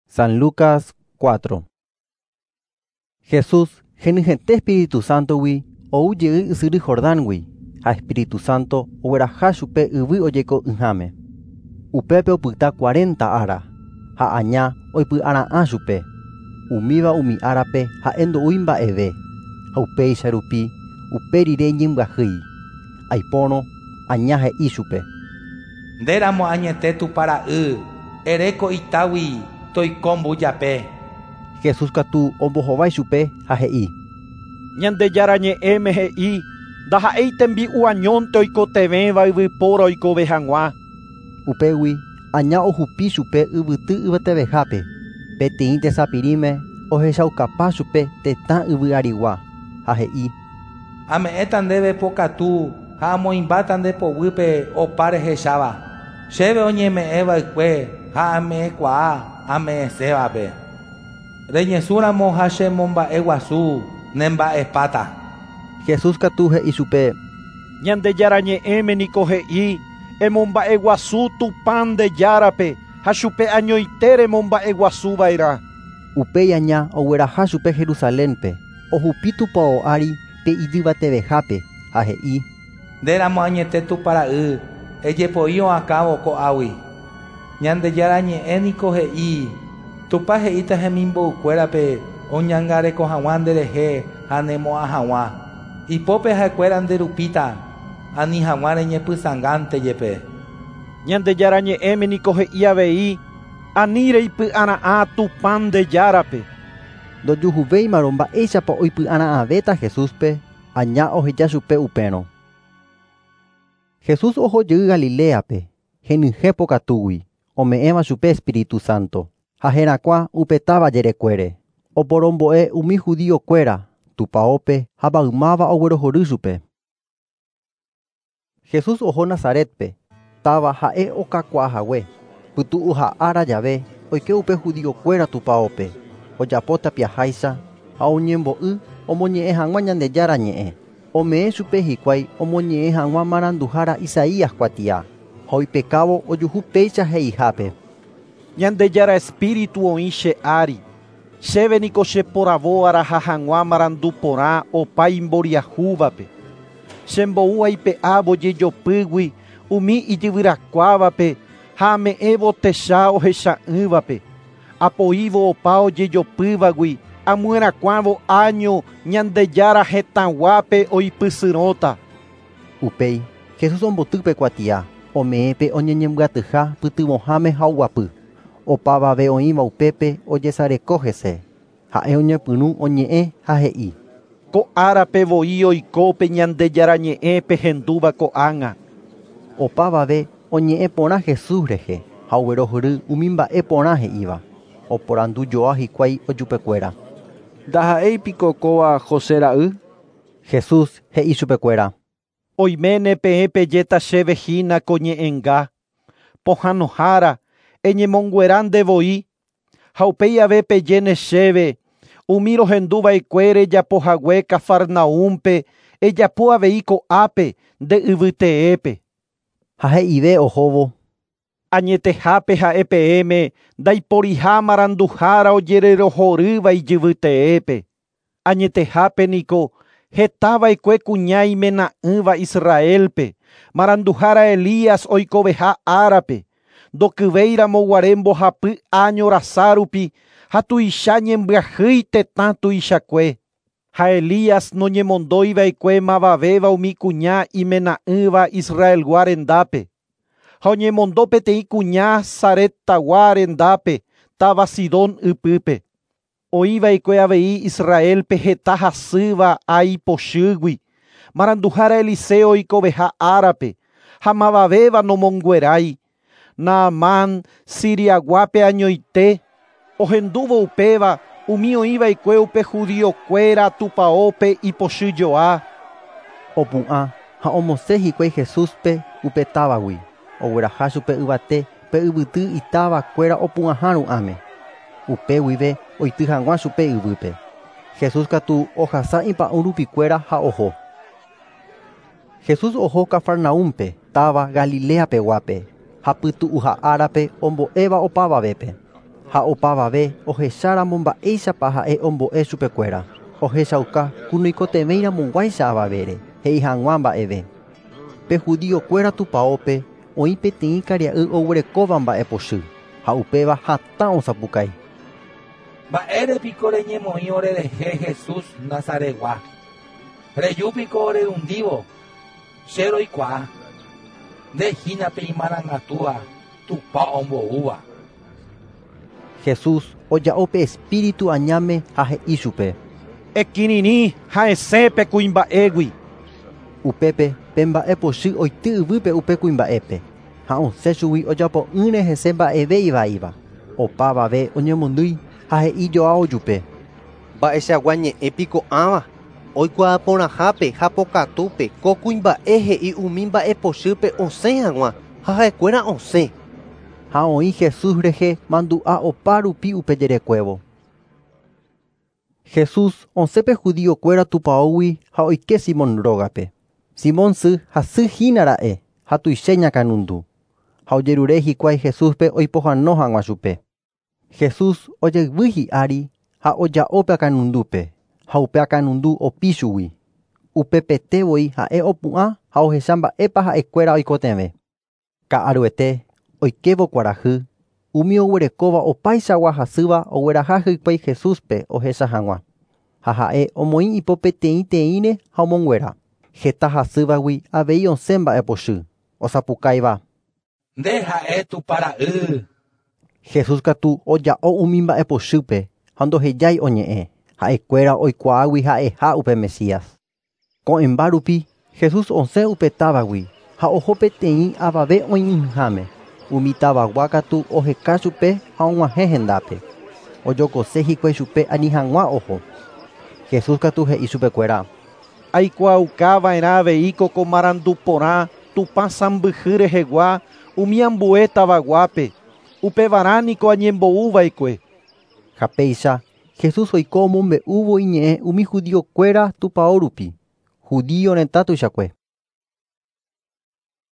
San Lucas 4. Jesús henyhẽte Espíritu Santo-gui ou jey ysyry Jordán-gui ha Espíritu Santo ogueraha chupe yvy ojeiko'ỹháme. Upépe opyta 40 ára ha aña oipy'ara'ã chupe. Umíva umi árape ha'e ndo'úi mba'eve ha upéicha rupi upe rire iñembyahýi. Aipórõ aña he'i chupe. Ndéramo añete Tupã ra'y, ereko itágui toiko mbujape. Jesús katu ombohovái chupe ha he'i. Ñandejára ñe'ẽme he'i ndaha'éi tembi'u añónte oikotevẽva yvypóra oikove hag̃ua. Upégui aña ohupi chupe yvyty yvatevehápe. Peteĩ tesapirĩme ohechaukapa chupe tetã yvy arigua ha he'i. Ame'ẽta ndéve pokatu ha amoĩmbáta nde poguýpe opa rehecháva. Chéve oñeme'ẽva'ekue ha ame'ẽkuaa ame'ẽsévape. Reñesũramo ha chemomba'eguasu nemba'epáta. Jesús katu he'i chupe. Ñandejára ñe'ẽme niko he'i emomba'eguasu Tupã nde járape ha chupe añoite remomba'eguasuva'erã. Upéi aña ogueraha chupe Jerusalénpe ohupi tupão ári pe ijyvatevehápe ha he'i. Ndéramo añete Tupã ra'y, ejepoi oakãvo ko'águi. Ñandejára ñe'ẽ niko he'i Tupã he'íta hemimbo'ykuérape oñangareko hag̃ua nderehe ha nemo'ã hag̃ua. Ipópe ha'ekuéra nderupíta ani hag̃ua reñepysãngánte jepe. Ñandejára ñe'ẽme niko he'i avei ani reipy'ara'ã Tupã nde járape. Ndojuhuvéimarõ mba'éichapa oipy'ara'ãvéta Jesúspe aña oheja chupe upérõ. Jesús oho jey Galileape henyhẽ pokatúgui ome'ẽva chupe Espíritu Santo ha herakuã upe táva jerekuére. Oporombo'e umi judíokuéra tupãópe ha maymáva oguerohory chupe. Jesús oho Nazaretpe táva ha'e okakuaahague. Pytu'uha ára jave oike upe judíokuéra tupãópe ojapo tapiaháicha ha oñembo'y omoñe'ẽ hag̃ua Ñandejára ñe'ẽ. Ome'ẽ chupe hikuái omoñe'ẽ hag̃ua maranduhára Isaías kuatia ha oipekávo ojuhu péicha he'ihápe. Ñandejára Espíritu oĩ che ári. Chéve niko cheporavo araha hag̃ua marandu porã opa imboriahúvape. Chembou aipe'ávo jejopýgui umi ijyvyrakuávape ha ame'ẽvo techa ohecha'ỹvape. Apoívo opa ojejopývagui amyerakuãvo año Ñandejára hetãguápe oipysyrõta. Upéi Jesús omboty pe kuatia ome'ẽpe oñeñembyatyha pytyvõháme ha oguapy. Opavave oĩva upépe ojesareko hese. Ha'e oñepyrũ oñe'ẽ ha he'i. Ko árape voi oiko pe Ñandejára ñe'ẽ pehendúva ko'ág̃a. Opavave oñe'ẽ porã Jesús rehe ha oguerohory umi mba'e porã he'íva. Oporandujoa hikuái ojupekuéra. Ndaha'éipiko kóva José ra'y. Jesús he'i chupekuéra. Oiméne peẽ pejéta chéve hína ko ñe'ẽnga. Pohãnohára eñemonguera ndevoi ha upéi ave pejéne chéve umi rohenduva'ekue rejapohague Cafarnaúmpe ejapo avei ko'ápe nde yvyteépe. Ha he'ive ohóvo. Añetehápe ha'e peẽme ndaiporiha maranduhára ojererohorýva ijyvyteépe. Añetehápe niko hetava'ekue kuña imena'ỹva Israelpe maranduhára Elías oikoveha árape ndokyvéiramo guare mbohapy año rasa rupi ha tuicha ñembyahýi tetã tuichakue. Ha Elías noñemondoiva'ekue mavavéva umi kuña imena'ỹva Israelgua rendápe. Ha oñemondo peteĩ kuña Saretagua rendápe táva Sidón ypýpe. Oĩva'ekue avei Israelpe heta hasýva ai pochýgui. Maranduhára Eliseo oikoveha árape ha mavavéva nomonguerái. Naamán Siriaguápe añoite ohendúvo upéva umi oĩva'ekue upe judíokuéra tupãópe ipochyjoa. Opu'ã ha omosẽ hikuái Jesúspe upe távagui. Ogueraha chupe yvate pe yvyty itávakuéra opu'ãha ru'ãme. Upe guive oity hag̃ua chupe yvýpe. Jesús katu ohasa ipa'ũ rupikuéra ha oho. Jesús oho Cafarnaúmpe táva Galileapeguápe ha pytu'uha árape ombo'éva opavavépe. Ha opavave ohecharamo mba'éichapa ha'e ombo'e chupekuéra. Ohechauka ku noikotevẽiramoguáicha avavére he'i hag̃ua mba'eve. Pe judiokuéra tupãópe oĩ peteĩ karia'y oguerekóva mba'epochy ha upéva hatã osapukái. Mba'érepiko reñemoĩ orerehe Jesús Nazaretgua. Rejúpiko orerundívo. Che roikuaa. Ndehína pe imarangatúva Tupã omboúva. Jesús oja'o pe espíritu añáme ha he'i chupe. Ekirirĩ ha esẽ pe kuimba'égui. Upépe pe mba'epochy oity yvýpe upe kuimba'épe ha osẽ chugui ojapo'ỹre hese mba'eve ivaíva. Opavave oñemondýi ha he'ijoa ojupe. Mba'eichagua ñe'ẽ ãva oikuaa porãhápe ha pokatúpe ko kuimba'e he'i umi mba'epochýpe osẽ hag̃ua ha ha'ekuéra osẽ. Ha oĩ Jesús rehe mandu'a opa rupi upe jerekuévo. Jesús osẽ pe judiokuéra tupãógui ha oike Simón rógape. Simón sy hasyhínara'e ha tuicha iñakãnundu. Ha ojerure hikuái Jesúspe oipohãno hag̃ua chupe. Jesús ojayvy hi'ári ha oja'o pe akãnundúpe ha upe akãnundu opi chugui. Upepetevoi ha'e opu'ã ha ohecha mba'épa ha'ekuéra oikotevẽ. Ka'aruete oikévo kuarahy umi oguerekóva opaichagua hasýva ogueraha hikuái Jesúspe ohecha hag̃ua. Ha ha'e omoĩ ipo peteĩteĩre ha omonguera. Heta hasývagui avei osẽ mba'epochy. Osapukáiva. Nde ha'e Tupã ra'y. Jesús katu oja'o umi mba'epochýpe ha ndohejái oñe'ẽ. Ha'ekuéra oikuaágui ha'eha upe Mesías. Ko'ẽmba rupi Jesús osẽ upe távagui ha oho peteĩ avave oĩ'ỹháme. Umi tavagua katu oheka chupe ha og̃uahẽ hendápe. Ojokose hikuái chupe ani hag̃ua oho. Jesús katu he'i chupekuéra. Aikuaukava'erã avei ko marandu porã Tupã sãmbyhy rehegua umi ambue tavaguápe. Upevarã niko añembo'uva'ekue. Ha péicha Jesús oiko omombe'úvo iñe'ẽ umi judiokuéra tupão rupi. Judío retã tuichakue.